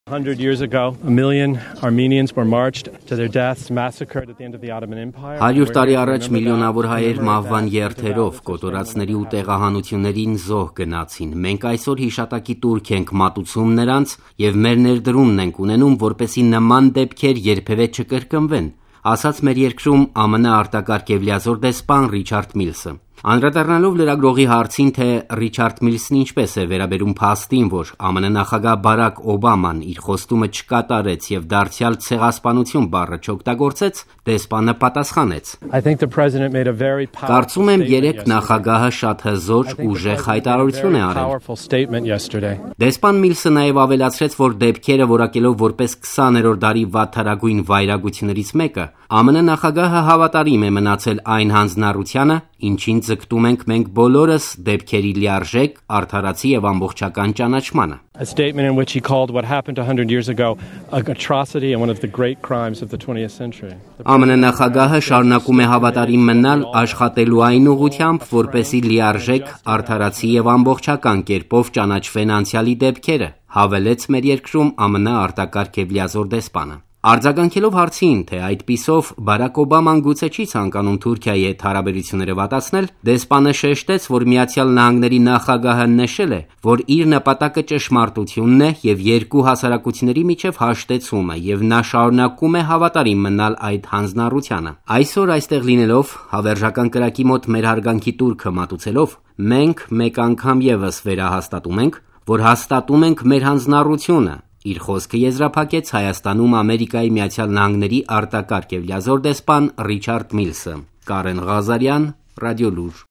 100 years ago, a million Armenians were marched to their deaths, massacred at the end of the Ottoman Empire. 100 տարի առաջ միլիոնավոր հայեր մահվան երթերով կոտորածների ու տեղահանություններին զոհ գնացին։ Մենք այսօր հիշատակի տուրք ենք մատուցում նրանց եւ մեր ներդրումն ենք ունենում, որպեսզի նման դեպքեր երբևէ չկրկնվեն, ասաց մեր երկրում ԱՄՆ արտակարգ եւ լիազոր դեսպան Ռիչարդ Միլսը։ Անդրադառնալով լրագրողի հարցին, թե Ռիչարդ Միլսն ինչպես է վերաբերում փաստին, որ ԱՄՆ նախագահ Բարակ Օբաման իր խոստումը չկատարեց եւ դարձյալ ցեղասպանություն բառը չօգտագործեց, դեսպանը պատասխանեց. Կարծում եմ, երեք նախագահը շատ հզոր ուժեղ հայտարարություն է արել։ Դեսպան Միլսը նաեւ ավելացրեց, որ դեպքերը որակելով որպես 20-րդ դարի վատթարագույն վայրագություններից մեկը, ԱՄՆ նախագահը հավատարիմ է մնացել այն հանձնառությանը, ինչին ձգտում ենք մենք բոլորս դեպքերի լիարժեք, արդարացի եւ ամբողջական ճանաչմանը։ A statement in which he called what happened 100 years ago an atrocity and one of the great crimes of the 20th century. ԱՄՆ նախագահը շարունակում է հավատարիմ մնալ աշխատելու այն ուղղությամբ, որպեսզի լիարժեք, արդարացի եւ ամբողջական կերպով ճանաչվեն անցյալի դեպքերը, հավելեց մեր երկրում ԱՄՆ արտակարգ եւ լիազոր դեսպանը։ Արձագանքելով հարցին, թե այդպիսով Բարակ Օբաման գուցե չի ցանկանում Թուրքիայի հետ հարաբերությունները վատացնել, դեսպանը շեշտեց, որ Միացյալ Նահանգների նախագահը նշել է, որ իր նպատակը ճշմարտությունն է եւ երկու հասարակությունների միջև հաշտեցումը, եւ նա շարունակում է հավատարիմ մնալ այդ հանձնառությանը։ Այսօր այստեղ լինելով, հավերժական կրակի մոտ մեր հարգանքի տուրքը մատուցելով, մենք մեկ անգամ եւս վերահաստատում ենք, որ հաստատում ենք մեր հանձնառությունը։ Իր խոսքը եզրափակեց Հայաստանում Ամերիկայի Միացյալ Նահանգների արտակարգ եւ լիազոր դեսպան Ռիչարդ Միլսը։ Կարեն Ղազարյան, Ռադիոլուր։